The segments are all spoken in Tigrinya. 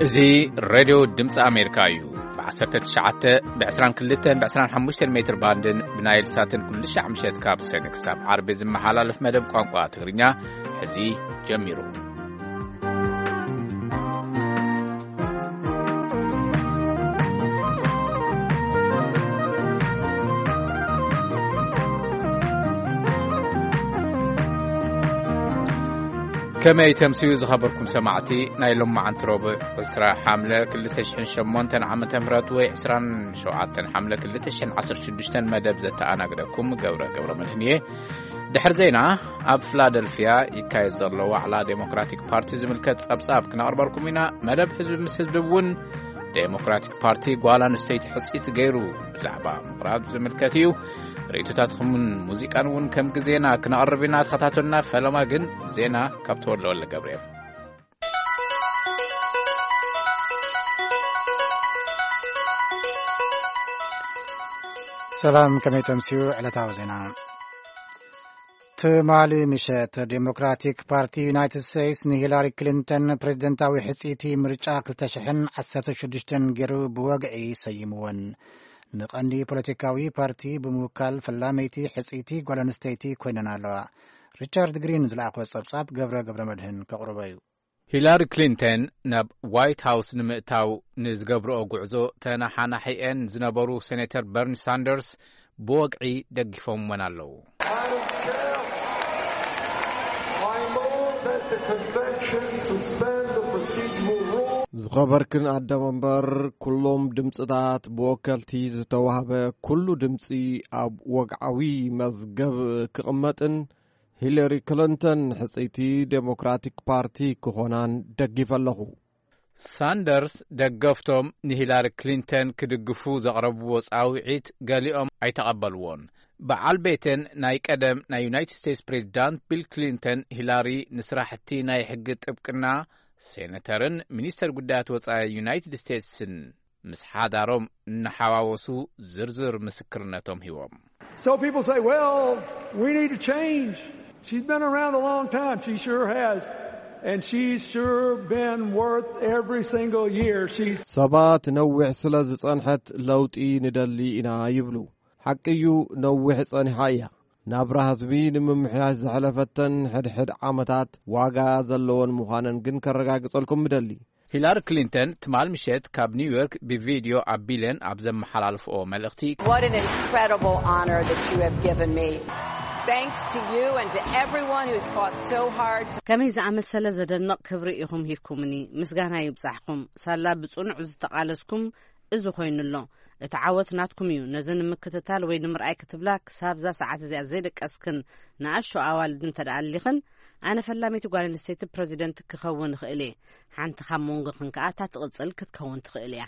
እዚ ሬድዮ ድምፂ ኣሜሪካ እዩ። ብ19፣ ብ22፣ ብ25 ሜትር ባንድን ብናይል ሳትን ኩሉ ሻዕ ምሸት ካብ ሰነ ክሳብ ዓርቢ ዝመሓላለፍ መደብ ቋንቋ ትግርኛ ሕዚ ጀሚሩ። ከመይ ተምስዩ ዝኸበርኩም ሰማዕቲ፣ ናይ ሎማዓንቲ ረቡዕ ዕስራ ሓምለ ክልተ ሽሕን ሸሞንተን ዓመተ ምህረት ወይ ዕስራን ሸውዓተን ሓምለ ክልተ ሽሕን ዓሰርተ ሽዱሽተን መደብ ዘተኣናግደኩም ገብረ ገብረ መድህን እየ። ድሕሪ ዜና፣ ኣብ ፊላደልፊያ ይካየድ ዘሎ ዋዕላ ዴሞክራቲክ ፓርቲ ዝምልከት ጸብጻብ ክነቕርበልኩም ኢና። መደብ ህዝቢ ምስ ህዝቢ እውን ዴሞክራቲክ ፓርቲ ጓል ኣንስተይቲ ሕጽይቲ ገይሩ ብዛዕባ ምቕራብ ዝምልከት እዩ። ርእይቶታትኩምን ሙዚቃን እውን ከም ግዜና ክነቕርብ ኢና። ተኸታተሉና። ፈለማ ግን ዜና ካብ ተወልደ ወልደ ገብርኤል። ሰላም፣ ከመይ ተምስዩ? ዕለታዊ ዜና። ትማሊ ምሸት ዴሞክራቲክ ፓርቲ ዩናይትድ ስቴትስ ንሂላሪ ክሊንተን ፕሬዝደንታዊ ሕጽይቲ ምርጫ ክልተ ሽሕን ዓሰርተ ሽዱሽተን ገይሩ ብወግዒ ሰይምወን። ንቐንዲ ፖለቲካዊ ፓርቲ ብምውካል ፈላመይቲ ሕጽይቲ ጓል ኣንስተይቲ ኮይነን ኣለዋ። ሪቻርድ ግሪን ዝለኣኾ ጸብጻብ ገብረ ገብረ መድህን ከቕርቦ እዩ። ሂላሪ ክሊንተን ናብ ዋይት ሃውስ ንምእታው ንዝገብርኦ ጉዕዞ ተነሓናሒአን ዝነበሩ ሴኔተር በርኒ ሳንደርስ ብወግዒ ደጊፎምወን ኣለዉ። I move that the convention suspend the procedural rule. ዝኸበርክን ኣደ መንበር፣ ኩሎም ድምፅታት ብወከልቲ ዝተዋህበ ኩሉ ድምፂ ኣብ ወግዓዊ መዝገብ ክቕመጥን ሂለሪ ክሊንተን ሕጽይቲ ዴሞክራቲክ ፓርቲ ክኾናን ደጊፈ ኣለኹ። ሳንደርስ ደገፍቶም ንሂላሪ ክሊንተን ክድግፉ ዘቕረብዎ ጻውዒት ገሊኦም ኣይተቐበልዎን። በዓል ቤተን ናይ ቀደም ናይ ዩናይትድ ስቴትስ ፕሬዚዳንት ቢል ክሊንተን፣ ሂላሪ ንስራሕቲ ናይ ሕጊ ጥብቅና፣ ሴነተርን ሚኒስተር ጉዳያት ወጻኢ ዩናይትድ ስቴትስን ምስ ሓዳሮም እናሓዋወሱ ዝርዝር ምስክርነቶም ሂቦም። So people say, "Well, we need to change." She's been around a long time. She sure has. And she's sure been worth every single year. She's ሰባት ነዊሕ ስለ ዝጸንሐት ለውጢ ንደሊ ኢና ይብሉ። ሓቂ እዩ፣ ነዊሕ ጸኒሓ እያ። ናብራ ህዝቢ ንምምሕያሽ ዘሕለፈተን ሕድሕድ ዓመታት ዋጋ ዘለወን ምዃነን ግን ከረጋግጸልኩም ምደሊ። ሂላሪ ክሊንተን ትማል ምሸት ካብ ኒውዮርክ ብቪድዮ ኣቢለን ኣብ ዘመሓላልፍኦ መልእኽቲ፣ What an incredible honor that you have given me. Thanks to you and to everyone who's fought so hard to ከመይ ዝኣመሰለ ዘደንቕ ክብሪ ኢኹም ሂብኩምኒ። ምስጋና ይብጻሕኩም። ሳላ ብጽኑዕ ዝተቓለስኩም እዚ ኮይኑ ኣሎ። እቲ ዓወት ናትኩም እዩ። ነዚ ንምክትታል ወይ ንምርኣይ ክትብላ ክሳብዛ ሰዓት እዚኣ ዘይደቀስክን ንኣሽቱ ኣዋልድ እንተ ደኣ ኣሊኽን፣ ኣነ ፈላመይቲ ጓል ኣንስተይቲ ፕረዚደንት ክኸውን እኽእል እየ። ሓንቲ ካብ መንጎኽን ከኣ እታ ትቕጽል ክትከውን ትኽእል እያ።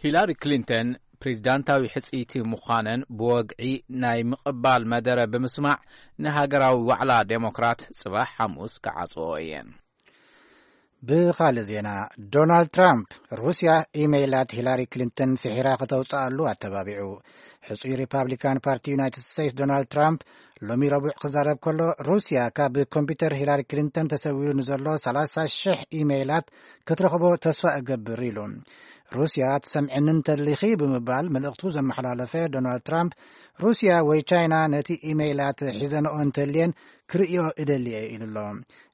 ሂላሪ ክሊንተን ፕሬዚዳንታዊ ሕጽይቲ ምዃነን ብወግዒ ናይ ምቕባል መደረ ብምስማዕ፣ ንሃገራዊ ዋዕላ ዴሞክራት ጽባሕ ሓሙስ ክዓጽዎ እየን። ብኻልእ ዜና፣ ዶናልድ ትራምፕ ሩስያ ኢሜይላት ሂላሪ ክሊንተን ፍሒራ ከተውጽኣሉ ኣተባቢዑ። ሕጹይ ሪፓብሊካን ፓርቲ ዩናይትድ ስቴትስ ዶናልድ ትራምፕ ሎሚ ረቡዕ ክዛረብ ከሎ፣ ሩስያ ካብ ኮምፒውተር ሂላሪ ክሊንተን ተሰዊሩ ንዘሎ ሰላሳ ሽሕ ኢሜይላት ክትረኽቦ ተስፋ እገብር ኢሉ። ሩስያ ትሰምዕኒ እንተሊኺ ብምባል መልእኽቱ ዘመሓላለፈ ዶናልድ ትራምፕ፣ ሩስያ ወይ ቻይና ነቲ ኢሜይላት ሒዘንኦ እንተልየን ክርእዮ እደሊ እየ ኢሉ ኣሎ።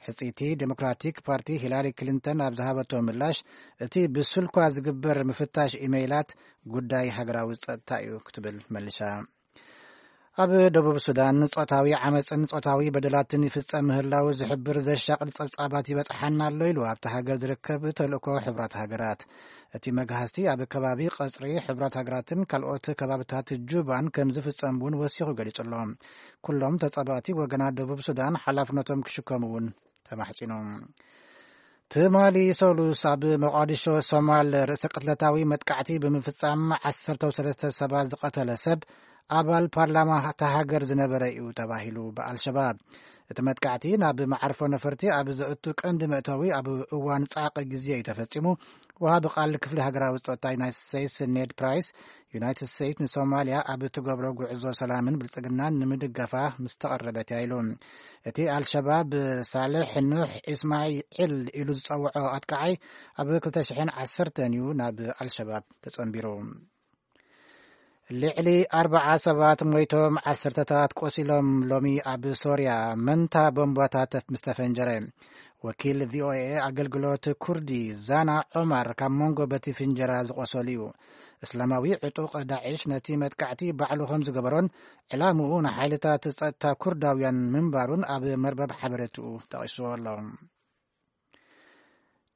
ሕጽይቲ ዴሞክራቲክ ፓርቲ ሂላሪ ክሊንተን ኣብ ዝሃበቶ ምላሽ፣ እቲ ብስልኳ ዝግበር ምፍታሽ ኢሜይላት ጉዳይ ሃገራዊ ጸጥታ እዩ ክትብል መሊሳ። ኣብ ደቡብ ሱዳን ጾታዊ ዓመጽን ጾታዊ በደላትን ይፍጸም ምህላው ዝሕብር ዘሻቕል ጸብጻባት ይበጽሓና ኣሎ ኢሉ ኣብቲ ሃገር ዝርከብ ተልእኮ ሕብራት ሃገራት። እቲ መግሃስቲ ኣብ ከባቢ ቀጽሪ ሕብራት ሃገራትን ካልኦት ከባብታት ጁባን ከም ዝፍጸም እውን ወሲኹ ገሊጹ ኣሎ። ኩሎም ተጻባእቲ ወገናት ደቡብ ሱዳን ሓላፍነቶም ክሽከሙ እውን ተማሕጺኑ። ትማሊ ሰሉስ ኣብ መቃዲሾ ሶማል ርእሰ ቅትለታዊ መጥቃዕቲ ብምፍጻም ዓሰርተ ሰለስተ ሰባት ዝቐተለ ሰብ ኣባል ፓርላማ እታ ሃገር ዝነበረ እዩ ተባሂሉ ብኣልሸባብ። እቲ መጥቃዕቲ ናብ መዓርፎ ነፈርቲ ኣብ ዘእቱ ቀንዲ መእተዊ ኣብ እዋን ጻዕቂ ግዜ እዩ ተፈጺሙ። ወሃቢ ቃል ክፍሊ ሃገራዊ ጸጥታ ዩናይትድ ስቴትስ ኔድ ፕራይስ ዩናይትድ ስቴትስ ንሶማልያ ኣብ እትገብሮ ጉዕዞ ሰላምን ብልጽግናን ንምድጋፋ ምስ ተቐረበት እያ ኢሉ። እቲ ኣልሸባብ ሳልሕ ኑሕ ኢስማዒል ኢሉ ዝጸውዖ ኣጥቃዓይ ኣብ ክልተ ሽሕን ዓሰርተን እዩ ናብ ኣልሸባብ ተጸንቢሩ። ልዕሊ ኣርባዓ ሰባት ሞይቶም፣ ዓሰርተታት ቆሲሎም። ሎሚ ኣብ ሶርያ መንታ ቦምባታት ምስ ተፈንጀረ፣ ወኪል ቪ ኦ ኤ ኣገልግሎት ኩርዲ ዛና ዖማር ካብ መንጎ በቲ ፍንጀራ ዝቆሰሉ እዩ። እስላማዊ ዕጡቕ ዳዕሽ ነቲ መጥቃዕቲ ባዕሉ ከም ዝገበሮን ዕላምኡ ንሓይልታት ጸጥታ ኩርዳውያን ምንባሩን ኣብ መርበብ ሓበሬትኡ ጠቒሱ ኣሎ።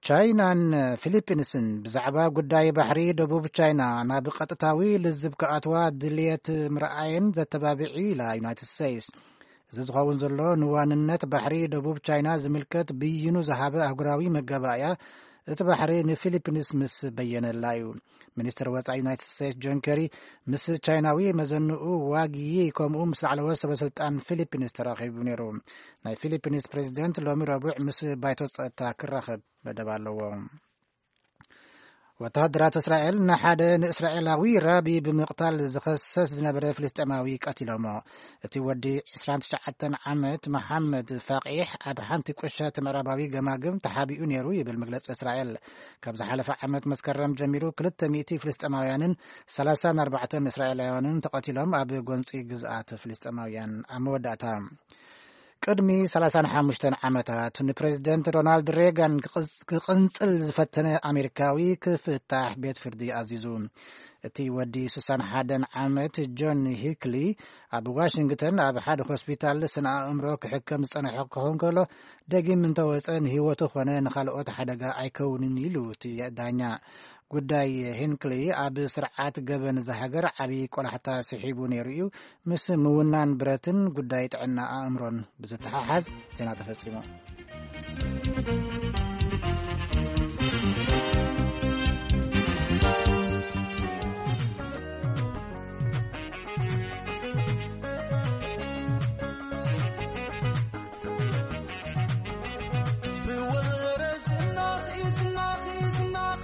ቻይናን ፊሊፒንስን ብዛዕባ ጉዳይ ባሕሪ ደቡብ ቻይና ናብ ቀጥታዊ ልዝብ ክኣትዋ ድልየት ምርኣየን ዘተባብዕ እዩ ኢላ ዩናይትድ ስቴትስ። እዚ ዝኸውን ዘሎ ንዋንነት ባሕሪ ደቡብ ቻይና ዝምልከት ብይኑ ዝሃበ ኣህጉራዊ መጋባእያ እቲ ባሕሪ ንፊሊፒንስ ምስ በየነላ እዩ። ሚኒስትር ወጻኢ ዩናይትድ ስቴትስ ጆን ኬሪ ምስ ቻይናዊ መዘንኡ ዋግ ዪ ከምኡ ምስ ላዕለዎት ሰበ ስልጣን ፊሊፒንስ ተራኺቡ ነይሩ። ናይ ፊሊፒንስ ፕሬዚደንት ሎሚ ረቡዕ ምስ ባይቶ ጸጥታ ክራኸብ መደብ ኣለዎ። ወተሃደራት እስራኤል ንሓደ ንእስራኤላዊ ራቢ ብምቕታል ዝኸሰስ ዝነበረ ፍልስጤማዊ ቀቲሎሞ። እቲ ወዲ ዕስራን ትሽዓተን ዓመት መሓመድ ፋቂሕ ኣብ ሓንቲ ቁሸት ምዕራባዊ ገማግም ተሓቢኡ ነይሩ ይብል መግለጺ እስራኤል። ካብ ዝሓለፈ ዓመት መስከረም ጀሚሩ ክልተ ሚእቲ ፍልስጤማውያንን ሰላሳን ኣርባዕተን እስራኤላውያንን ተቐቲሎም ኣብ ጎንጺ ግዝኣት ፍልስጤማውያን። ኣብ መወዳእታ ቅድሚ ሰላሳን ሓሙሽተን ዓመታት ንፕሬዚደንት ሮናልድ ሬጋን ክቕጽ-፣ ክቕንጽል ዝፈተነ ኣሜሪካዊ ክፍታሕ ቤት ፍርዲ ኣዚዙ። እቲ ወዲ ስሳን ሓደን ዓመት ጆን ሂክሊ ኣብ ዋሽንግተን ኣብ ሓደ ሆስፒታል ስነ ኣእምሮ ክሕከም ዝጸንሐ ክኸውን ከሎ፣ ደጊም እንተወጸ ንህይወቱ ኾነ ንኻልኦት ሓደጋ ኣይከውንን ኢሉ እቲ ዳኛ። ጉዳይ ሂንክሊ ኣብ ስርዓት ገበን እዛ ሃገር ዓቢ ቆላሕታ ስሒቡ ነይሩ እዩ። ምስ ምውናን ብረትን ጉዳይ ጥዕና ኣእምሮን ብዝተሓሓዝ ዜና ተፈጺሙ። ብወረ ዝናኺ፣ ዝናኺ፣ ዝናኺ፣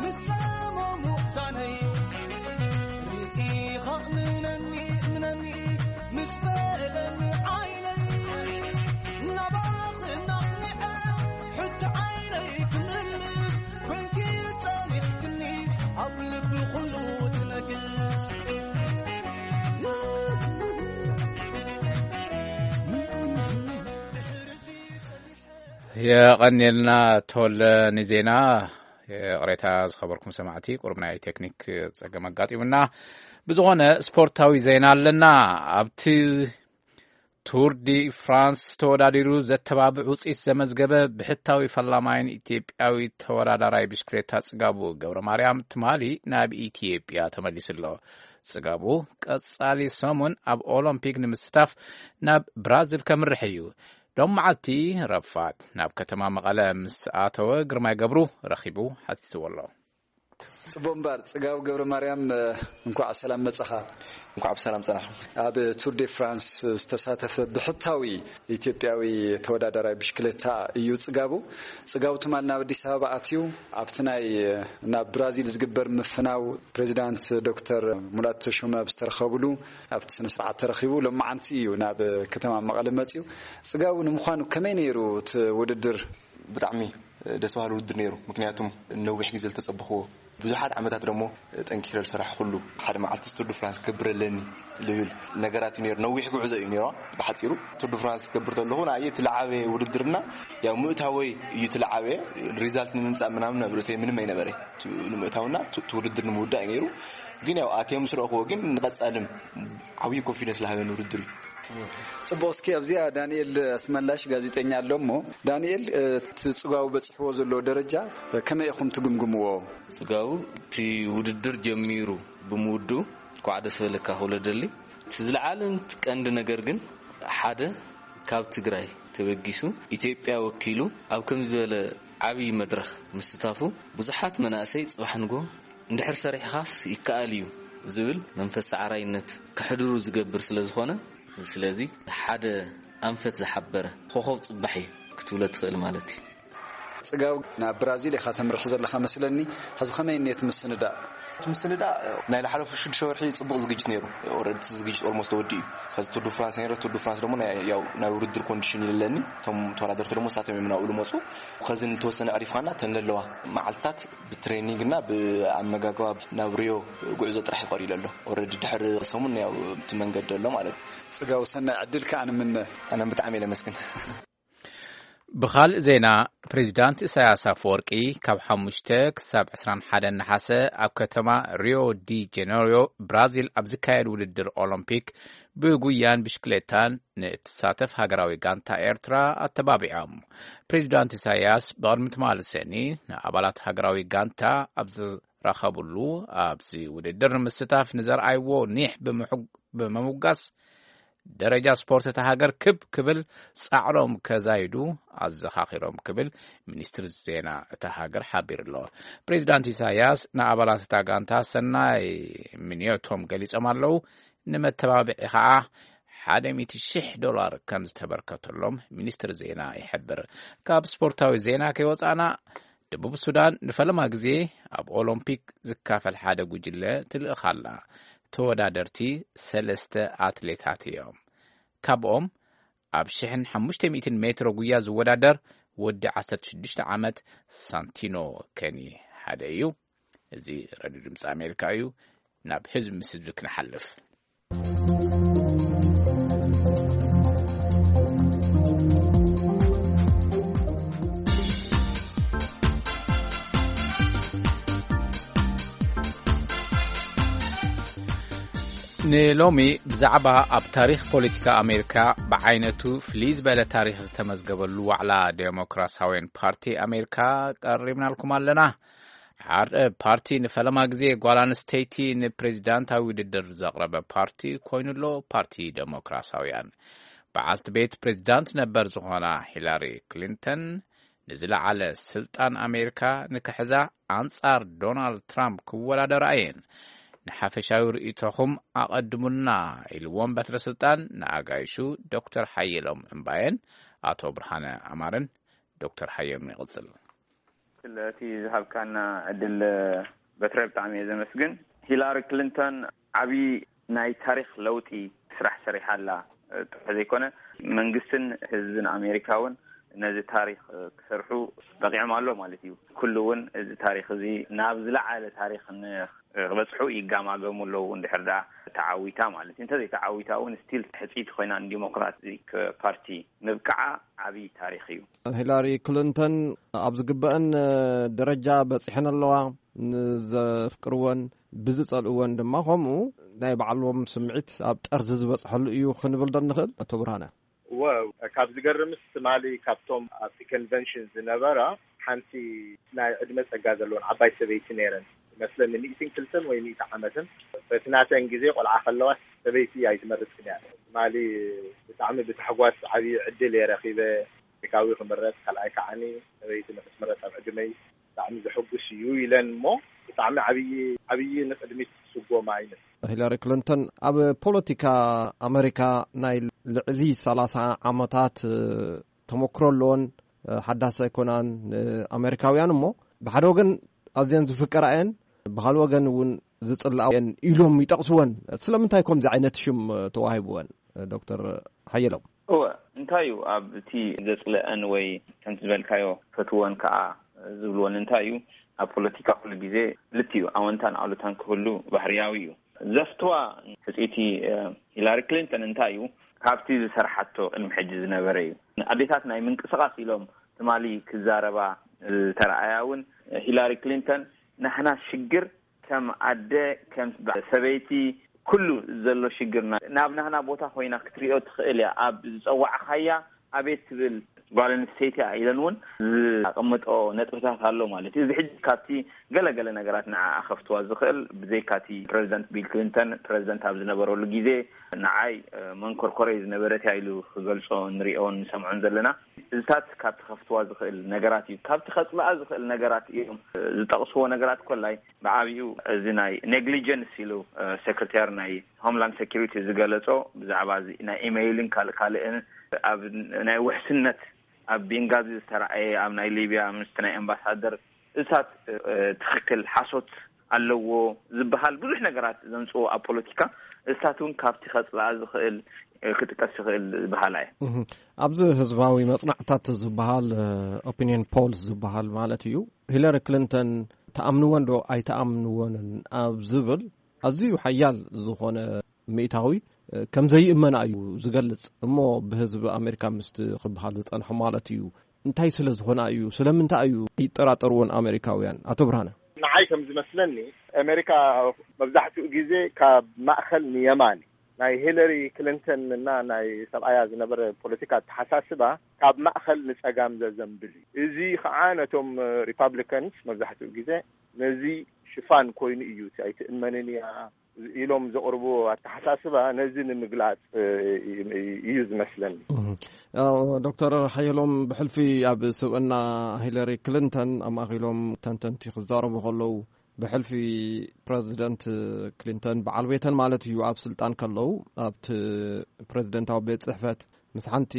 ምስ ጸመሙ ዛነይ። ርኢኻ እምነኒ፣ እምነኒ፣ ምስ በለኒ ዓይነይ። ናባኺ ናቕኒዐ፣ ሕጂ ዓይነይ ክምልስ፣ ኮንኪ ጸኒሕክኒ፣ ኣብ ልቢ ኩሉ ትነግስ። የቐንየልና ተወለ ንዜና። ይቕሬታ ዝኸበርኩም ሰማዕቲ፣ ቁሩብ ናይ ቴክኒክ ጸገም ኣጋጢሙና። ብዝኾነ ስፖርታዊ ዜና ኣለና። ኣብቲ ቱር ዲ ፍራንስ ተወዳዲሩ ዘተባብዕ ውጽኢት ዘመዝገበ ብሕታዊ ፈላማይን ኢትዮጵያዊ ተወዳዳራይ ብሽክሌታ ጽጋቡ ገብረ ማርያም ትማሊ ናብ ኢትዮጵያ ተመሊሱ ኣሎ። ጽጋቡ ቀጻሊ ሰሙን ኣብ ኦሎምፒክ ንምስታፍ ናብ ብራዚል ከምርሕ እዩ። ሎም መዓልቲ ረፋድ ናብ ከተማ መቐለ ምስ ኣተወ ግርማይ ገብሩ ረኺቡ ሓቲትዎ ኣሎ። ጽቡቕ እምበር፣ ጽጋቡ ገብረ ማርያም፣ እ፣ እንኳዕ ሰላም መጻኻ። እንኳዕ ብሰላም ጸናሕኩም። ኣብ ቱር ዴ ፍራንስ ዝተሳተፈ ብሕታዊ ኢትዮጵያዊ ተወዳዳራይ ብሽክሌታ እዩ ጽጋቡ። ጽጋቡ ትማል ናብ ኣዲስ ኣበባ ኣትዩ፣ ኣብቲ ናይ፣ እ፣ ናብ ብራዚል ዝግበር ምፍናው ፕሬዚዳንት ዶክተር ሙላቱ ተሾመ ኣብ ዝተረኸብሉ ኣብቲ ስነ ስርዓት ተረኺቡ። ሎማዓንቲ እዩ ናብ ከተማ መቐለ መጺኡ። ጽጋቡ፣ ንምዃኑ ከመይ ነይሩ እቲ ውድድር? ብጣዕሚ ደስ በሃሊ ውድድር ነይሩ። ምክንያቱም ነዊሕ ግዜ ዝተጸበኽዎ፣ ብዙሓት ዓመታት ደሞ ጠንኪረ ዝሰራሕኩሉ፣ ሓደ መዓልቲ ቱር ድ ፍራንስ ክገብር ኣለኒ ዝብል ነገራት እዩ ነይሩ። ነዊሕ ጉዕዞ እዩ ነይሩ። ብሓጺሩ ቱር ድ ፍራንስ ክገብር ተለኹ ንኣየ እቲ ለዓበየ ውድድርና፣ ያው ምእታወይ እዩ እቲ ለዓበየ፣ ሪዛልት ንምምጻእ ምናምን ኣብ ርእሰይ ምንም ኣይነበረ። ቱ-፣ ንምእታውና ቱ-፣ እቲ ውድድር ንምውዳእ እዩ ነይሩ። ግን ያው ኣትየ ምስ ረእኽዎ ግን ንቐጻልም ዓብዪ ኮንፊደንስ ዝሃበኒ ውድድር እዩ። ጽቡቕ፣ እስኪ ኣብዚኣ ዳንኤል ኣስመላሽ ጋዜጠኛ ኣሎ እሞ፣ ዳንኤል፣ እቲ ጽጋቡ በጺሕዎ ዘሎ ደረጃ ከመይ ኢኹም ትግምግምዎ? ጽጋቡ እቲ ውድድር ጀሚሩ ብምውድኡ እንኳዕ ደስ በለካ ክብሎ ደሊ። እቲ ዝለዓለን እቲ ቀንዲ ነገር ግን ሓደ ካብ ትግራይ ተበጊሱ ኢትዮጵያ ወኪሉ ኣብ ከምዚ ዝበለ ዓብዪ መድረኽ ምስታፉ ብዙሓት መናእሰይ ጽባሕ ንግሆ እንድሕር ሰሪሕኻስ ይከኣል እዩ ዝብል መንፈስ ሰዓራይነት ከሕድሩ ዝገብር ስለ ዝኾነ፣ ስለዚ ሓደ ኣንፈት ዝሓበረ ኮኾብ ጽባሕ እዩ ክትብሎ ትኽእል ማለት እዩ። ጽጋብ፣ ናብ ብራዚል ኢኻ ተምርሕ ዘለኻ መስለኒ። ሕዚ ከመይ እኒአት ምስንዳእ? እቲ ምስንዳ ናይ ዝሓለፉ ሽዱሽተ ወርሒ ጽቡቕ ዝግጅት ነይሩ። ኦረዲ ዝግጅት ኦልሞስት ተወዲኡ እዩ። ከዚ ቱር ዱ ፍራንስ ነይረ። ቱር ዱ ፍራንስ ደሞ ናይ- ያው ናይ ውድድር ኮንዲሽን ይለኒ። እቶም ተወዳደርቲ ደሞ ሳቶም እዮም ናብኡ ዝመፁ። ከዚ ንተወሰነ ዕሪፍካና ተን ለለዋ መዓልትታት ብትሬኒንግ እና ብኣመጋግባ ናብ ሪዮ ጉዕዞ ጥራሕ ይቀር ይለሎ። ኦረዲ ድሕሪ ሰሙን ያው እቲ መንገዲ ኣሎ ማለት እዩ። ጽጋው ሰናይ ዕድል ከኣ ንምነ። ኣነ ብጣዕሚ እየ ለመስግን። ብኻልእ ዜና፣ ፕሬዚዳንት ኢሳያስ ኣፈወርቂ ካብ ሓሙሽተ ክሳብ ዕስራን ሓደን ነሓሰ ኣብ ከተማ ሪዮ ዲ ጀነሪዮ ብራዚል ኣብ ዝካየድ ውድድር ኦሎምፒክ ብጉያን ብሽክሌታን ንእትሳተፍ ሃገራዊ ጋንታ ኤርትራ ኣተባቢዖም። ፕሬዚዳንት ኢሳያስ ብቕድሚ ትማሊ ሰኒ ንኣባላት ሃገራዊ ጋንታ ኣብ ዝረኸብሉ፣ ኣብዚ ውድድር ንምስታፍ ንዘርኣይዎ ኒሕ ብምሕግ- ብምምጓስ ደረጃ ስፖርት እታ ሃገር ክብ ክብል ጻዕሮም ከዛይዱ ኣዘኻኺሮም ክብል ሚኒስትሪ ዜና እታ ሃገር ሓቢሩ ኣሎ። ፕሬዚዳንት ኢሳያስ ንኣባላት እታ ጋንታ ሰናይ ምንዮቶም ገሊጾም ኣለዉ። ንመተባብዒ ኸዓ ሓደ ሚእቲ ሺሕ ዶላር ከም ዝተበርከተሎም ሚኒስትሪ ዜና ይሕብር። ካብ ስፖርታዊ ዜና ከይወጻና፣ ደቡብ ሱዳን ንፈለማ ግዜ ኣብ ኦሎምፒክ ዝካፈል ሓደ ጉጅለ ትልእኽ ኣላ። ተወዳደርቲ ሰለስተ ኣትሌታት እዮም። ካብኦም ኣብ ሽሕን ሓሙሽተ ሚእትን ሜትሮ ጉያ ዝወዳደር ወዲ ዓሰርተ ሽዱሽተ ዓመት ሳንቲኖ ከኒ ሓደ እዩ። እዚ ረድዮ ድምፂ ኣሜሪካ እዩ። ናብ ህዝቢ ምስ ህዝቢ ክንሓልፍ፣ ንሎሚ ብዛዕባ ኣብ ታሪኽ ፖለቲካ ኣሜሪካ ብዓይነቱ ፍልይ ዝበለ ታሪኽ ዝተመዝገበሉ ዋዕላ ዴሞክራሲያውያን ፓርቲ ኣሜሪካ ቀሪብናልኩም ኣለና። ሓደ ፓርቲ ንፈለማ ግዜ ጓል ኣንስተይቲ ንፕሬዚዳንታዊ ውድድር ዘቕረበ ፓርቲ ኮይኑ ኣሎ፣ ፓርቲ ዴሞክራሲያውያን። በዓልቲ ቤት ፕሬዚዳንት ነበር ዝኾና ሂላሪ ክሊንተን ንዝለዓለ ስልጣን ኣሜሪካ ንክሕዛ ኣንጻር ዶናልድ ትራምፕ ክወዳደራ እየን። ንሓፈሻዊ ርእይቶኹም ኣቐድሙልና ኢልዎም በትረ ስልጣን ንኣጋይሹ ዶክተር ሓየሎም እምባየን ኣቶ ብርሃነ ኣማረን። ዶክተር ሓየሎም ይቕጽል። ስለቲ ዝሃብካና ዕድል በትረ ብጣዕሚ እየ ዘመስግን። ሂላሪ ክሊንተን ዓብዪ ናይ ታሪኽ ለውጢ ስራሕ ሰሪሓ ኣላ ጥራሕ ዘይኮነ፣ መንግስትን ህዝብን ኣሜሪካ እውን ነዚ ታሪኽ ክሰርሑ በቂዖም ኣሎ ማለት እዩ። ኩሉ እውን እዚ ታሪኽ እዚ ናብ ዝለዓለ ታሪኽ ንክበፅሑ ይጋማገሙ ኣለዉ። እንድሕር ደኣ ተዓዊታ ማለት እዩ። እንተዘይተዓዊታ እውን ስቲል ሕፅይቲ ኮይና ንዲሞክራቲክ ፓርቲ ምብቃዓ ዓብዪ ታሪኽ እዩ። ሂላሪ ክሊንተን ኣብ ዝግበአን ደረጃ በፂሐን ኣለዋ። ንዘፍቅርወን ብዝጸልእወን ድማ ከምኡ ናይ ባዕሎም ስምዒት ኣብ ጠርዚ ዝበጽሐሉ እዩ ክንብል ዶ ንኽእል? ኣቶ ብርሃነ። እወ፣ ካብ ዝገርምስ ትማሊ ካብቶም ኣብቲ ኮንቨንሽን ዝነበራ ሓንቲ ናይ ዕድመ ጸጋ ዘለወን ዓባይ ሰበይቲ ነይረን ይመስለኒ፣ ሚእትን ክልተን ወይ ሚእቲ ዓመትን። በቲ ናተን ግዜ ቆልዓ ከለዋ ሰበይቲ ኣይትመርጽን እያ። ትማሊ ብጣዕሚ ብታሕጓስ ዓብዪ ዕድል እየ ረኺበ። ኣሜሪካዊ ክምረጽ፣ ካልኣይ ከዓኒ ሰበይቲ ንክትምረጽ ኣብ ዕድመይ ብጣዕሚ ዘሐጉስ እዩ ኢለን እሞ ብጣዕሚ ዓብዪ ዓብዪ ንቕድሚት ስጎማ ይመስል። ሂላሪ ክሊንተን ኣብ ፖለቲካ ኣሜሪካ ናይ ልዕሊ ሰላሳ ዓመታት ተመክሮ ኣለወን። ሓዳስ ኣይኮናን ንኣሜሪካውያን እሞ ብሓደ ወገን ኣዝየን ዝፍቀራ እየን፣ ብኻልእ ወገን እውን ዝጽልኣ እየን ኢሎም ይጠቕስወን። ስለምንታይ ከምዚ ዓይነት ሽም ተዋሂብወን ዶክተር ሓየሎም? እወ፣ እንታይ እዩ ኣብቲ ዘጽልአን ወይ ከምቲ ዝበልካዮ ፈትወን ከኣ ዝብልወን እንታይ እዩ? ኣብ ፖለቲካ ኩሉ ግዜ ክልቲኡ ኣወንታን ኣሉታን ክህሉ ባህርያዊ እዩ። ዘፍትዋ ሕጽይቲ ሂላሪ ክሊንተን እንታይ እዩ? ካብቲ ዝሰርሓቶ ቅድሚ ሕጂ ዝነበረ እዩ። ኣዴታት ናይ ምንቅስቓስ ኢሎም ትማሊ ክዛረባ ዝተረኣያ እውን ሂላሪ ክሊንተን ናህና ሽግር ከም ኣደ፣ ከም ሰበይቲ ኩሉ ዘሎ ሽግርና ናብ ናህና ቦታ ኮይና ክትሪኦ ትኽእል እያ። ኣብ ዝጸዋዕኻያ ኣቤት ትብል ጓል ኣንስተይቲ እያ ኢለን እውን ዝኣቐምጦ ነጥብታት ኣሎ ማለት እዩ። እዚ ሕጂ ካብቲ ገለገለ ነገራት ንዓኣ ከፍትዋ ዝኽእል ብዘይካቲ ፕረዚደንት ቢል ክሊንተን ፕረዚደንት ኣብ ዝነበረሉ ግዜ ንዓይ መንኮርኮረይ ዝነበረት እያ ኢሉ ክገልጾ ንሪኦን ንሰምዖን ዘለና። እዚታት ካብቲ ከፍትዋ ዝኽእል ነገራት እዩ። ካብቲ ከጽልኣ ዝኽእል ነገራት እዮም ዝጠቕስዎ ነገራት ኮላይ ብዓብኡ እዚ ናይ ኔግሊጀንስ ኢሉ ሴክሬታሪ ናይ ሆምላንድ ሴኩሪቲ ዝገለጾ ብዛዕባ እዚ ናይ ኢሜይልን ካልእ ካልእን ኣብ ናይ ውሕስነት ኣብ ቤንጋዚ ዝተረኣየ ኣብ ናይ ሊብያ ምስቲ ናይ ኣምባሳደር እሳት ትኽክል ሓሶት ኣለዎ ዝበሃል ብዙሕ ነገራት ዘምፅኦ ኣብ ፖለቲካ፣ እሳት እውን ካብቲ ከፅልኣ ዝኽእል ክጥቀስ ይኽእል ዝበሃላ እየ። ኣብዚ ህዝባዊ መፅናዕታት ዝበሃል፣ ኦፒኒየን ፖልስ ዝበሃል ማለት እዩ፣ ሂለሪ ክሊንተን ተኣምንወን ዶ ኣይተኣምንወንን ኣብ ዝብል ኣዝዩ ሓያል ዝኾነ ሚእታዊ ከም ዘይእመና እዩ ዝገልጽ። እሞ ብህዝቢ ኣሜሪካ ምስቲ ክበሃል ዝጸንሐ ማለት እዩ እንታይ ስለ ዝኾና እዩ? ስለምንታይ እዩ ይጠራጠርዎን ኣሜሪካውያን? ኣቶ ብርሃነ። ንዓይ ከም ዝመስለኒ፣ ኣሜሪካ መብዛሕትኡ ግዜ ካብ ማእኸል ንየማን፣ ናይ ሂለሪ ክሊንተን እና ናይ ሰብኣያ ዝነበረ ፖለቲካ ኣተሓሳስባ ካብ ማእኸል ንፀጋም ዘዘንብል እዩ። እዚ ከዓ ነቶም ሪፓብሊካንስ መብዛሕትኡ ግዜ ነዚ ሽፋን ኮይኑ እዩ። ኣይትእመንን እያ ኢሎም ዘቕርብዎ ኣተሓሳስባ ነዚ ንምግላፅ እዩ ዝመስለኒ። ዶክተር ሓየሎም፣ ብሕልፊ ኣብ ስብእና ሂለሪ ክሊንተን ኣማእኪሎም ተንተንቲ ክዛረቡ ከለዉ፣ ብሕልፊ ፕረዚደንት ክሊንተን በዓል ቤተን ማለት እዩ ኣብ ስልጣን ከለዉ ኣብቲ ፕረዚደንታዊ ቤት ፅሕፈት ምስ ሓንቲ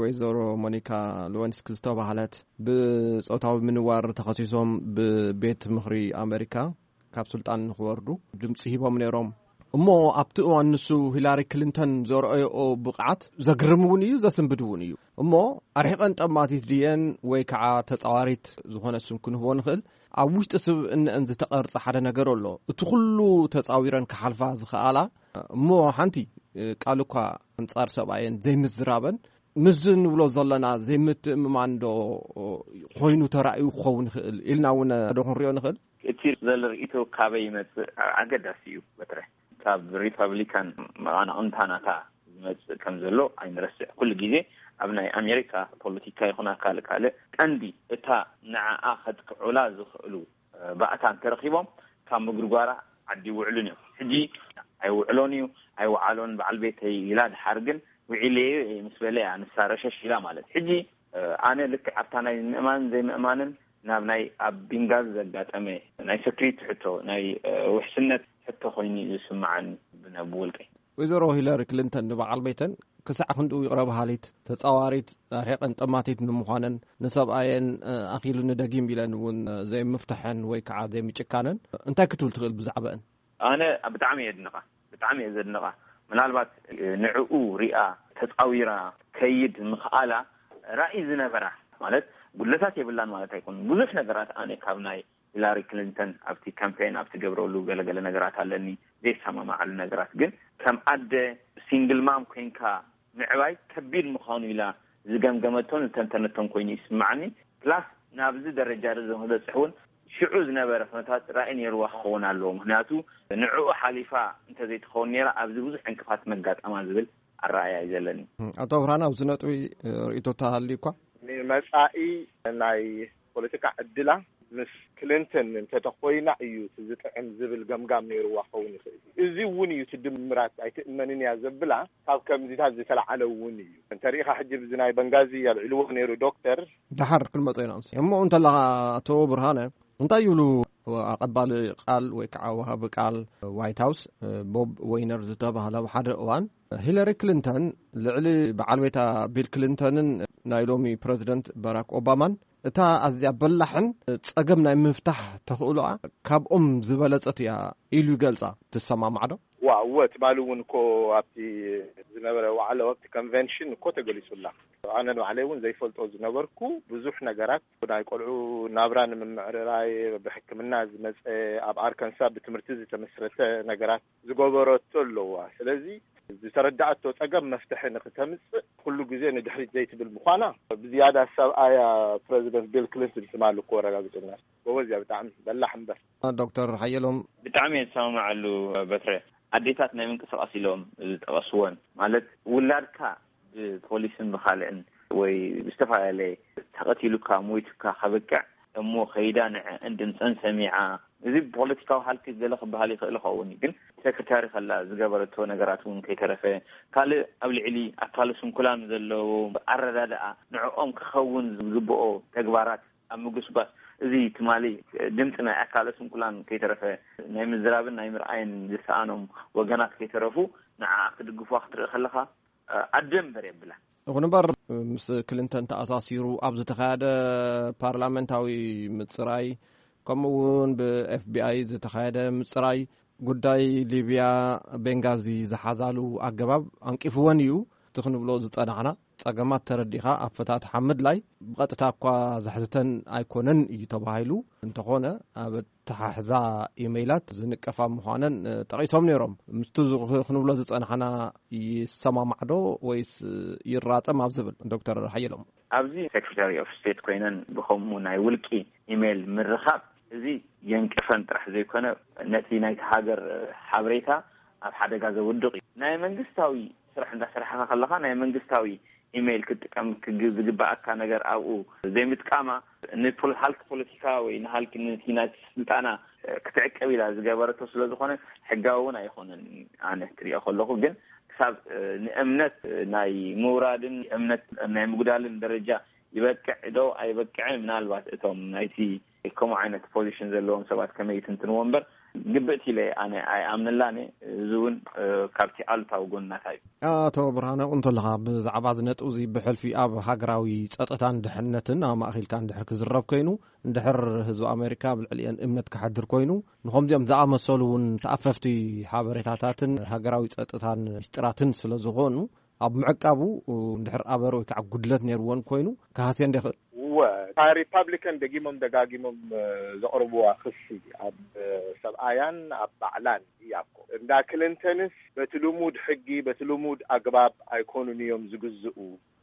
ወይዘሮ ሞኒካ ሉወንስኪ ዝተባህለት ብፆታዊ ምንዋር ተኸሲሶም ብቤት ምኽሪ ኣሜሪካ ካብ ስልጣን ንክወርዱ ድምፂ ሂቦም ነይሮም። እሞ ኣብቲ እዋን ንሱ ሂላሪ ክሊንተን ዘርኣየኦ ብቕዓት ዘግርም እውን እዩ፣ ዘስንብድ እውን እዩ። እሞ ኣርሒቐን ጠማቲት ድየን ወይ ከዓ ተፃዋሪት ዝኾነ ስም ክንህቦ ንኽእል? ኣብ ውሽጢ ስብእነአን ዝተቐርጸ ሓደ ነገር ኣሎ። እቲ ኩሉ ተፃዊረን ክሓልፋ ዝኸኣላ እሞ ሓንቲ ቃል እኳ ኣንጻር ሰብኣየን ዘይምዝራበን፣ ምስዚ ንብሎ ዘለና ዘይምትእምማን ዶ ኮይኑ ተራእዩ ክኸውን ይኽእል ኢልና እውን ዶ ክንሪኦ ንኽእል? እቲ ዘሎ ርእይቶ ካበይ ይመጽእ ኣገዳሲ እዩ። በትረ ካብ ሪፐብሊካን መቓናቕንታ ናታ ዝመጽእ ከም ዘሎ ኣይንረስዕ። ኩሉ ግዜ ኣብ ናይ ኣሜሪካ ፖለቲካ ይኹን ኣብ ካልእ ካልእ ቀንዲ እታ ንዓኣ ከጥቅዑላ ዝኽእሉ ባእታ እንተረኺቦም ካብ ምግርጓራ ዓዲ ይውዕሉን እዮም። ሕጂ ኣይውዕሎን እዩ ኣይወዓሎን በዓል ቤተይ ኢላ ድሓር ግን ውዒለዮ እየ ምስ በለ እያ ንሳ ረሸሽ ኢላ ማለት። ሕጂ ኣነ ልክዕ ኣብታ ናይ ምእማንን ዘይምእማንን ናብ ናይ ኣብ ቢንጋዚ ዘጋጠመ ናይ ሰክሪቲ ሕቶ ናይ ውሕስነት ሕቶ ኮይኑ እዩ ዝስምዓኒ ብነ ብውልቀይ። ወይዘሮ ሂለሪ ክሊንተን ንበዓል ቤተን ክሳዕ ክንድኡ ይቕረ በሃሊት፣ ተጻዋሪት፣ ኣርሒቐን ጠማቲት ንምዃነን ንሰብኣየን ኣኺሉኒ ደጊም ኢለን እውን ዘይምፍትሐን ወይ ከዓ ዘይምጭካነን እንታይ ክትብል ትኽእል ብዛዕባአን? ኣነ ብጣዕሚ እየ ድንቓ ብጣዕሚ እየ ዘድንቓ። ምናልባት ንዕኡ ሪኣ ተጻዊራ ከይድ ምኽኣላ ራእይ ዝነበራ ማለት ጉድለታት የብላን ማለት ኣይኮኑን። ብዙሕ ነገራት ኣነ ካብ ናይ ሂላሪ ክሊንተን ኣብቲ ካምፔን ኣብቲ ገብረሉ ገለገለ ነገራት ኣለኒ ዘይሰማማዓሉ ነገራት ግን ከም ኣደ ሲንግል ማም ኮይንካ ምዕባይ ከቢድ ምዃኑ ኢላ ዝገምገመቶን ዝተንተነቶን ኮይኑ ይስምዓኒ። ፕላስ ናብዚ ደረጃ ርዝም ክበፅሕ እውን ሽዑ ዝነበረ ኩነታት ራእይ ነይርዋ ክኸውን ኣለዎ። ምክንያቱ ንዕኡ ሓሊፋ እንተዘይትኸውን ነይራ ኣብዚ ብዙሕ ዕንቅፋት መጋጠማ ዝብል ኣረኣያ እዩ ዘለኒ። ኣቶ ብርሃን ኣብዚ ነጥቢ ርእይቶ ተሃልዩ እኳ መፃኢ ናይ ፖለቲካ ዕድላ ምስ ክሊንተን እንተተኮይና እዩ እቲ ዝጥዕም ዝብል ገምጋም ነይርዋ ክኸውን ይኽእል እዩ። እዚ እውን እዩ እቲ ድምራት ኣይትእመንን እያ ዘብላ ካብ ከምዚታት ዝተለዓለ እውን እዩ። እንተሪኢኻ ሕጂ ብዚ ናይ በንጋዚ ኣልዒልዎ ነይሩ ዶክተር። ደሓር ክንመፆ ኢና እሞ እንተለኻ ኣቶ ብርሃነ እንታይ ይብሉ ኣቐባሊ ቃል ወይ ከዓ ወሃቢ ቃል ዋይት ሃውስ ቦብ ወይነር ዝተባህለ ኣብ ሓደ እዋን ሂለሪ ክሊንተን ልዕሊ በዓል ቤታ ቢል ክሊንተንን ናይ ሎሚ ፕረዚደንት ባራክ ኦባማን እታ ኣዝያ በላሕን ጸገም ናይ ምፍታሕ ተኽእሎኣ ካብኦም ዝበለጸት እያ ኢሉ ይገልጻ። ትሰማማዕ ዶ? ዋ እወ፣ ትማሊ እውን እኮ ኣብቲ ዝነበረ ዋዕላ ኣብቲ ኮንቨንሽን እኮ ተገሊጹላ። ኣነ ንባዕለይ እውን ዘይፈልጦ ዝነበርኩ ብዙሕ ነገራት ናይ ቆልዑ ናብራ ንምምዕርራይ ብሕክምና ዝመጸ ኣብ ኣርከንሳ ብትምህርቲ ዝተመስረተ ነገራት ዝገበረቶ ኣለዋ። ስለዚ ዝተረዳኣቶ ጸገም መፍትሒ ንክተምጽእ ኩሉ ግዜ ንድሕሪት ዘይትብል ምዃና ብዝያዳ ሰብኣያ ፕረዚደንት ቢል ክሊንተን ትማሊ እኮ ኣረጋጊጹልና። ጎበዝ እያ ብጣዕሚ በላሕ እምበር። ዶክተር ሓየሎም ብጣዕሚ እየ ዝሰማማዓሉ በትረ። ኣዴታት ናይ ምንቅስቃስ ኢሎም ዝጠቐስወን ማለት ውላድካ ብፖሊስን ብካልእን ወይ ብዝተፈላለየ ተቐቲሉካ ሞይቱካ ከብቅዕ እሞ ከይዳ ንዐ እንድምፀን ሰሚዓ እዚ ብፖለቲካዊ ሃልኪ ገለ ክበሃል ይኽእል ይኸውን ግን ሰክርታሪ ከላ ዝገበረቶ ነገራት እውን ከይተረፈ ካልእ ኣብ ልዕሊ ኣካለ ስንኩላን ዘለዎ ኣረዳድኣ ንዕኦም ክኸውን ዝግብኦ ተግባራት ኣብ ምጉስጓስ እዚ ትማሊ ድምፂ ናይ ኣካለ ስንኩላን ከይተረፈ ናይ ምዝራብን ናይ ምርኣይን ዝሰኣኖም ወገናት ከይተረፉ ንዓ ክድግፏ ክትርኢ ከለኻ ኣደ እምበር የብላ። ይኹን እምበር ምስ ክሊንተን ተኣሳሲሩ ኣብ ዝተኻየደ ፓርላመንታዊ ምፅራይ ከምኡ እውን ብኤፍቢኣይ ዝተኻየደ ምፅራይ ጉዳይ ሊብያ ቤንጋዚ ዝሓዛሉ ኣገባብ ኣንቂፍወን እዩ። እቲ ክንብሎ ዝፀናሕና ፀገማት ተረዲኻ ኣፈታትሓ ምድላይ ብቐጥታ እኳ ዘሕትተን ኣይኮነን እዩ ተባሂሉ። እንተኾነ ኣብ ኣተሓሕዛ ኢሜይላት ዝንቀፋ ምዃነን ጠቒሶም ነይሮም። ምስቲ ክንብሎ ዝፀናሕና ይሰማማዕዶ ወይስ ይራፀም ኣብ ዝብል ዶክተር ሓየሎም? ኣብዚ ሴክሬታሪ ኦፍ ስቴት ኮይነን ብኸምኡ ናይ ውልቂ ኢሜይል ምርኻብ፣ እዚ የንቅፈን ጥራሕ ዘይኮነ ነቲ ናይቲ ሃገር ሓበሬታ ኣብ ሓደጋ ዘውድቕ እዩ። ናይ መንግስታዊ ስራሕ እንዳሰራሕካ ከለኻ ናይ መንግስታዊ ኢሜይል ክትጥቀም ክግ- ዝግባኣካ ነገር ኣብኡ ዘይምጥቃማ ንፖለ- ሃልኪ ፖለቲካ ወይ ንሃልኪ ነቲ ናይቲ ስልጣና ክትዕቅብ ኢላ ዝገበረቶ ስለ ዝኾነ ሕጋዊ እውን ኣይኾነን። ኣነ ክሪኦ ከለኹ ግን ክሳብ ንእምነት ናይ ምውራድን እምነት ናይ ምጉዳልን ደረጃ ይበቅዕ ዶ ኣይበቅዕን ምናልባት እቶም ናይቲ ከምኡ ዓይነት ፖዚሽን ዘለዎም ሰባት ከመይ ይትንትንዎ እምበር ግብእቲ ኢለ ኣነ ኣይኣምንላን እየ። እዚ እውን ካብቲ ኣሉታዊ ጎንናታ እዩ። ኣቶ ብርሃነ፣ እንተለኻ ብዛዕባ እዚ ነጥብ እዚ ብሕልፊ ኣብ ሃገራዊ ጸጥታን ድሕነትን ኣማእኺልካ እንድሕር ክዝረብ ኮይኑ፣ እንድሕር ህዝቢ ኣሜሪካ ኣብ ልዕሊአን እምነት ክሓድር ኮይኑ፣ ንኸምዚኦም ዝኣመሰሉ እውን ተኣፈፍቲ ሓበሬታታትን ሃገራዊ ጸጥታን ሚስጥራትን ስለ ዝኾኑ ኣብ ምዕቃቡ እንድሕር ኣበር ወይ ከዓ ጉድለት ነይርዎን ኮይኑ ክሃስየን ዶ ይኽእል? እወ፣ እታ ሪፓብሊካን ደጊሞም ደጋጊሞም ዘቕርብዋ ክሲ ኣብ ሰብኣያን ኣብ ባዕላን እያ እኮ። እንዳ ክሊንተንስ በቲ ልሙድ ሕጊ በቲ ልሙድ ኣግባብ ኣይኮኑን እዮም ዝግዝኡ።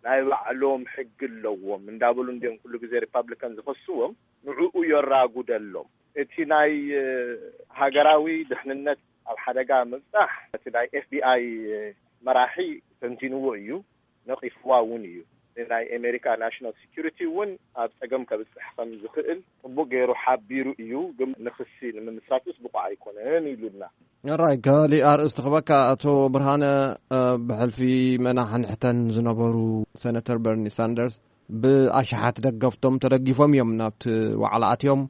ናይ ባዕሎም ሕጊ ኣለዎም እንዳበሉ እንዲዮም ኩሉ ግዜ ሪፓብሊካን ዝኸስዎም። ንዕኡ የራጉደሎም። እቲ ናይ ሃገራዊ ድሕንነት ኣብ ሓደጋ ምብፃሕ እቲ ናይ ኤፍቢኣይ መራሒ ተንቲንዎ እዩ፣ ነቒፍዋ እውን እዩ። ናይ ኣሜሪካ ናሽናል ሴኩሪቲ እውን ኣብ ፀገም ከብፅሕ ከም ዝኽእል ፅቡቅ ገይሩ ሓቢሩ እዩ። ግን ንክሲ ንምምስራትስ ብቑዕ ኣይኮነን ኢሉና። ራይ፣ ካሊእ ኣርእስቲ ክበካ። ኣቶ ብርሃነ፣ ብሕልፊ መናሕንሕተን ዝነበሩ ሴነተር በርኒ ሳንደርስ ብኣሽሓት ደገፍቶም ተደጊፎም እዮም ናብቲ ዋዕላ ኣትዮም።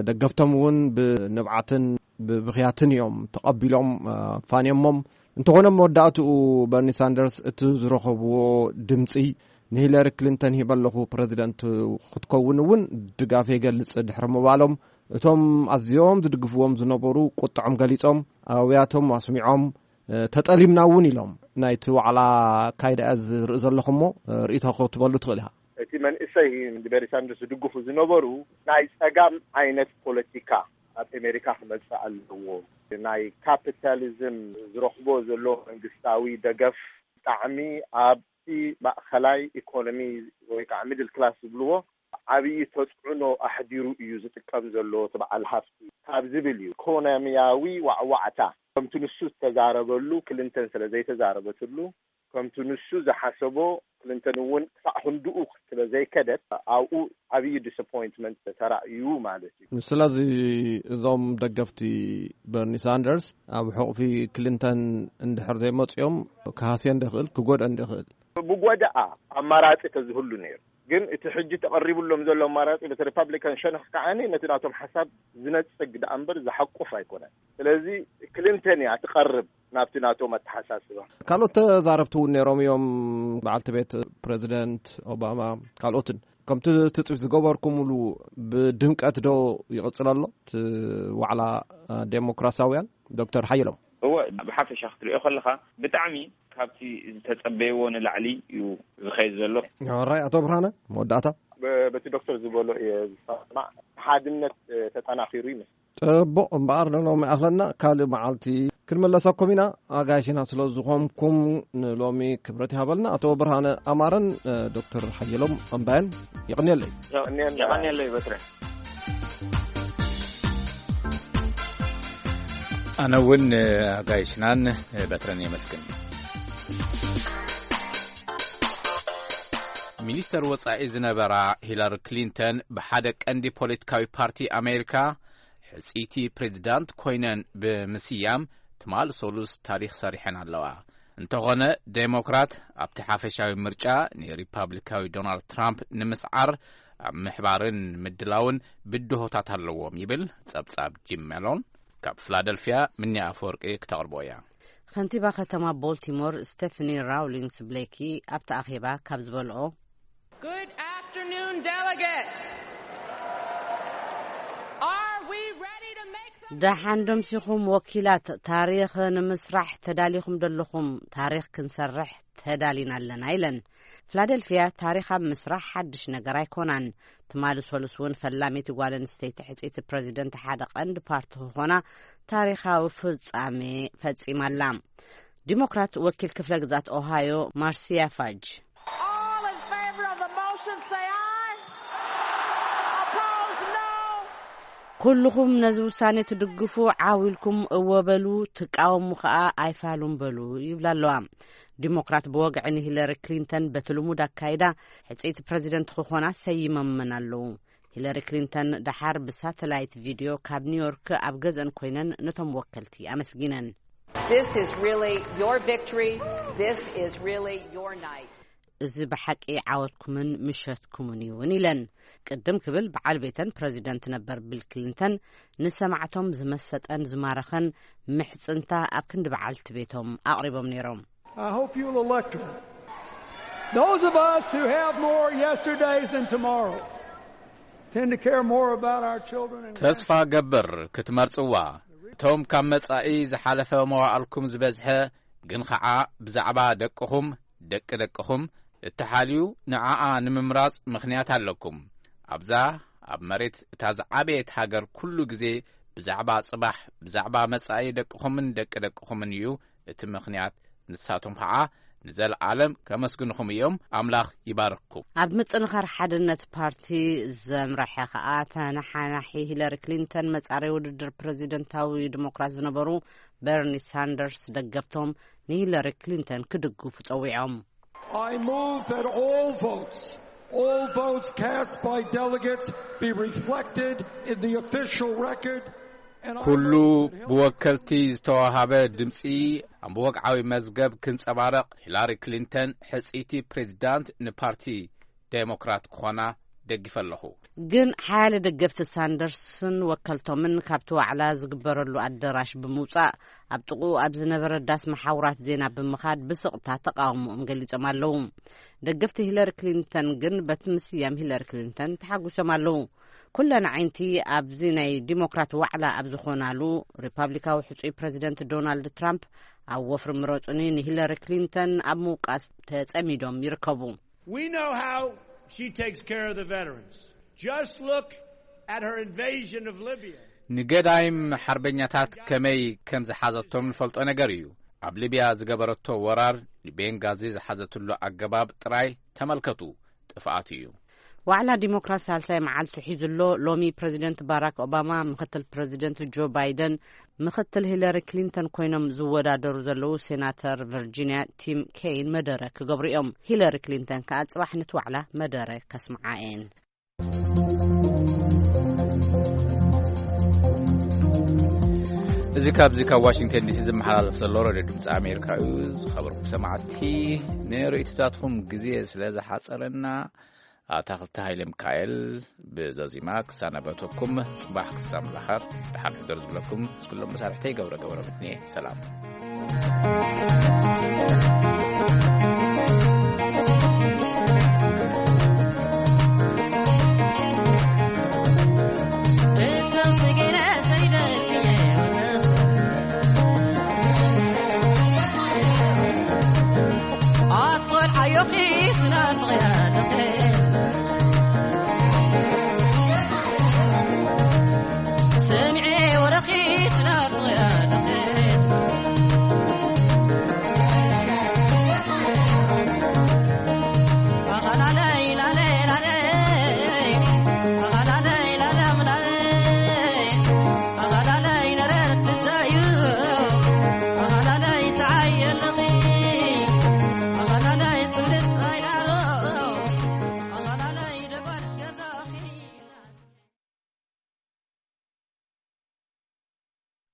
ደገፍቶም እውን ብንብዓትን ብብኽያትን እዮም ተቐቢሎም ፋንዮሞም። እንተኾነ መወዳእትኡ በርኒ ሳንደርስ እቲ ዝረኸብዎ ድምፂ ንሂለሪ ክሊንተን ሂበ ኣለኹ ፕረዚደንት ክትከውን እውን ድጋፍ ይገልፅ ድሕሪ ምባሎም፣ እቶም ኣዝዮም ዝድግፍዎም ዝነበሩ ቁጥዖም ገሊፆም፣ ኣውያቶም ኣስሚዖም፣ ተጠሊምና እውን ኢሎም። ናይቲ ዋዕላ ኣካይዳ ዝርኢ ዘለኹ እሞ ርእይቶ ክትበሉ ትኽእል ኢኻ። እቲ መንእሰይ በርኒ ሳንደርስ ዝድግፉ ዝነበሩ ናይ ጸጋም ዓይነት ፖለቲካ ኣብ ኣሜሪካ ክመጽእ ኣለዎ። ናይ ካፒታሊዝም ዝረኽቦ ዘሎ መንግስታዊ ደገፍ ብጣዕሚ ኣብቲ ማእኸላይ ኢኮኖሚ ወይ ከዓ ሚድል ክላስ ዝብልዎ ዓብዪ ተፅዕኖ ኣሕዲሩ እዩ ዝጥቀም ዘሎ እቲ በዓል ሃፍቲ ካብ ዝብል እዩ። ኢኮኖሚያዊ ዋዕዋዕታ ከምቲ ንሱ ዝተዛረበሉ ክሊንተን ስለ ዘይተዛረበትሉ ከምቲ ንሱ ዝሓሰቦ ክሊንተን እውን ክሳዕ ክንድኡ ስለ ዘይከደት ኣብኡ ዓብዪ ዲስኣፖይንትመንት ተራእዩ ማለት እዩ። ስለዚ እዞም ደገፍቲ በርኒ ሳንደርስ ኣብ ሕቑፊ ክሊንተን እንድሕር ዘይመፅኦም ክሃስየን ዶ ይኽእል ክጎድአን ዶ ይኽእል? ብጎዳኣ ኣማራፂ ተዝህሉ ነይሩ። ግን እቲ ሕጂ ተቐሪቡሎም ዘሎ ኣማራፂ በቲ ሪፓብሊካን ሸነኽ ከዓኒ ነቲ ናቶም ሓሳብ ዝነፅግ ደኣ እምበር ዝሓቁፍ ኣይኮነን። ስለዚ ክሊንተን እያ ትቐርብ ናብቲ ናቶም ኣተሓሳስባ። ካልኦት ተዛረብቲ እውን ነይሮም እዮም። በዓልቲ ቤት ፕሬዚደንት ኦባማ ካልኦትን። ከምቲ ትፅቢት ዝገበርኩምሉ ብድምቀት ዶ ይቕፅል ኣሎ እቲ ዋዕላ ዴሞክራሲያውያን? ዶክተር ሓየሎም። እወ፣ ብሓፈሻ ክትሪኦ ከለኻ ብጣዕሚ ካብቲ ዝተጸበይዎ ንላዕሊ እዩ ዝኸይድ ዘሎ። ራይ ኣቶ ብርሃነ፣ መወዳእታ። በቲ ዶክተር ዝበሎ እየ ዝሰማዕ። ሓድነት ተጠናኺሩ ይመስል። ጽቡቕ እምበኣር ንሎሚ ኣኸልና ካልእ መዓልቲ ክንመለሰኩም ኢና። ኣጋይሽና ስለ ዝኾንኩም ንሎሚ ክብረት ይሃበልና። ኣቶ ብርሃነ ኣማረን ዶክተር ሓየሎም ኣምባየን የቕንየለይ። የቐንየለይ በትረ። ኣነ እውን ኣጋይሽናን በትረን የመስግን። ሚኒስተር ወጻኢ ዝነበራ ሂላሪ ክሊንተን ብሓደ ቀንዲ ፖለቲካዊ ፓርቲ ኣሜሪካ ሕጽይቲ ፕሬዚዳንት ኮይነን ብምስያም ትማል ሰሉስ ታሪኽ ሰሪሐን ኣለዋ። እንተኾነ ዴሞክራት ኣብቲ ሓፈሻዊ ምርጫ ንሪፓብሊካዊ ዶናልድ ትራምፕ ንምስዓር ኣብ ምሕባርን ምድላውን ብድሆታት ኣለዎም ይብል ጸብጻብ ጂም ሜሎን። ካብ ፊላደልፊያ ምንያ ኣፈወርቂ ክተቕርቦ እያ። ከንቲባ ከተማ ቦልቲሞር ስቴፈኒ ራውሊንግስ ብሌኪ ኣብቲ ኣኼባ ካብ ዝበልኦ Good afternoon, delegates. Are ደሓን ደምሲኹም ወኪላት፣ ታሪኽ ንምስራሕ ተዳሊኹም ደለኹም? ታሪኽ ክንሰርሕ ተዳሊና ኣለና ኢለን። ፊላደልፊያ ታሪኽ ኣብ ምስራሕ ሓድሽ ነገር ኣይኮናን። ትማሊ ሰሉስ እውን ፈላሚት ጓል ኣንስተይቲ ሕጽይቲ ፕረዚደንት ሓደ ቀንዲ ፓርቲ ክኾና ታሪኻዊ ፍጻሜ ፈጺማ ኣላ። ዲሞክራት ወኪል ክፍለ ግዛት ኦሃዮ ማርሲያ ፋጅ፣ All in favor of the motion, say aye. Opposed, no. ኩልኹም ነዚ ውሳኔ ትድግፉ ዓው ኢልኩም እወ በሉ፣ ትቃወሙ ከኣ ኣይፋሉን በሉ ይብላ ኣለዋ። ዲሞክራት ብወግዒ ንሂለሪ ክሊንተን በቲ ልሙድ ኣካይዳ ሕጽይቲ ፕረዚደንት ክኾና ሰይመመን ኣለዉ። ሂለሪ ክሊንተን ደሓር ብሳተላይት ቪድዮ ካብ ኒውዮርክ ኣብ ገዝአን ኮይነን ነቶም ወከልቲ ኣመስጊነን። This is really your victory. This is really your night. እዚ ብሓቂ ዓወትኩምን ምሸትኩምን እዩ እውን ኢለን። ቅድም ክብል በዓል ቤተን ፕረዚደንት ነበር ቢል ክሊንተን ንሰማዕቶም ዝመሰጠን ዝማረኸን ምሕጽንታ ኣብ ክንዲ በዓልቲ ቤቶም ኣቕሪቦም ነይሮም። I hope you'll elect her. Those of us who have more yesterdays than tomorrow tend to care more about our children and ተስፋ ገብር ክትመርጽዋ። እቶም ካብ መጻኢ ዝሓለፈ መዋእልኩም ዝበዝሐ ግን ኸዓ ብዛዕባ ደቅኹም፣ ደቂ ደቅኹም እተሓልዩ ንዓኣ ንምምራጽ ምኽንያት ኣለኩም። ኣብዛ ኣብ መሬት እታ ዝዓበየት ሃገር ኩሉ ግዜ ብዛዕባ ጽባሕ፣ ብዛዕባ መጻኢ ደቅኹምን ደቂ ደቅኹምን እዩ እቲ ምኽንያት። ንሳቶም ኸዓ ንዘለዓለም ከመስግንኹም እዮም። ኣምላኽ ይባርክኩም። ኣብ ምጥንኻር ሓድነት ፓርቲ ዘምረሐ ኸኣ ተነሓናሒ ሂለሪ ክሊንተን መጻረይ ውድድር ፕረዚደንታዊ ዲሞክራት ዝነበሩ በርኒ ሳንደርስ ደገፍቶም ንሂለሪ ክሊንተን ክድግፉ ጸዊዖም። I move that all votes, all votes cast by delegates be reflected in the official record. And I ኩሉ move that Hillary ብወከልቲ ዝተዋሃበ ድምፂ ኣብ ወግዓዊ መዝገብ ክንጸባረቕ ሂላሪ ክሊንተን ሕጽይቲ ፕሬዚዳንት ንፓርቲ ዴሞክራት ክኾና ደጊፈ ኣለኹ። ግን ሓያለ ደገፍቲ ሳንደርስን ወከልቶምን ካብቲ ዋዕላ ዝግበረሉ ኣደራሽ ብምውጻእ ኣብ ጥቕኡ ኣብ ዝነበረ ዳስ መሓውራት ዜና ብምኻድ ብስቕታ ተቃውሞኦም ገሊጾም ኣለዉ። ደገፍቲ ሂለሪ ክሊንተን ግን በቲ ምስያም ሂለሪ ክሊንተን ተሓጒሶም ኣለዉ። ኩለን ዓይንቲ ኣብዚ ናይ ዲሞክራት ዋዕላ ኣብ ዝኾናሉ ሪፓብሊካዊ ሕጹይ ፕረዚደንት ዶናልድ ትራምፕ ኣብ ወፍሪ ምረጹኒ ንሂለሪ ክሊንተን ኣብ ምውቃስ ተጸሚዶም ይርከቡ። We know how she takes care of the veterans. Just look at her invasion of Libya. ንገዳይም ሓርበኛታት ከመይ ከም ዝሓዘቶም ንፈልጦ ነገር እዩ። ኣብ ሊብያ ዝገበረቶ ወራር፣ ንቤንጋዚ ዝሓዘትሉ ኣገባብ ጥራይ ተመልከቱ። ጥፍኣት እዩ። ዋዕላ ዲሞክራት ሳልሳይ መዓልቱ ሒዙ ኣሎ። ሎሚ ፕረዚደንት ባራክ ኦባማ፣ ምክትል ፕረዚደንት ጆ ባይደን፣ ምክትል ሂለሪ ክሊንተን ኮይኖም ዝወዳደሩ ዘለዉ ሴናተር ቨርጂንያ ቲም ኬይን መደረ ክገብሩ እዮም። ሂለሪ ክሊንተን ከኣ ጽባሕ ነቲ ዋዕላ መደረ ከስምዓ እየን። እዚ ካብዚ ካብ ዋሽንግተን ዲሲ ዝመሓላለፍ ዘሎ ሬድዮ ድምፂ ኣሜሪካ እዩ። ዝኸበርኩም ሰማዕቲ፣ ንርእይቶታትኩም ግዜ ስለ ዝሓፀረና፣ ኣታኽልቲ ሃይለ ሚካኤል ብዘዚማ ክሰናበተኩም፣ ጽባሕ ክሳብ ንራኸብ ደሓን ሕደሩ ዝብለኩም ምስ ኩሎም መሳርሕተይ ገብረ ገብረ ምትንየ። ሰላም።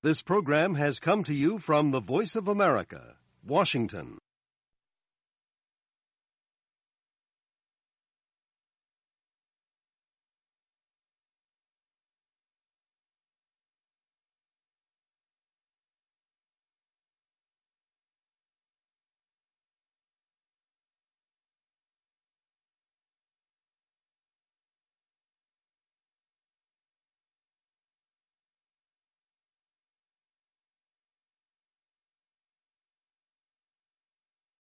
This program has come to you from the Voice of America, Washington.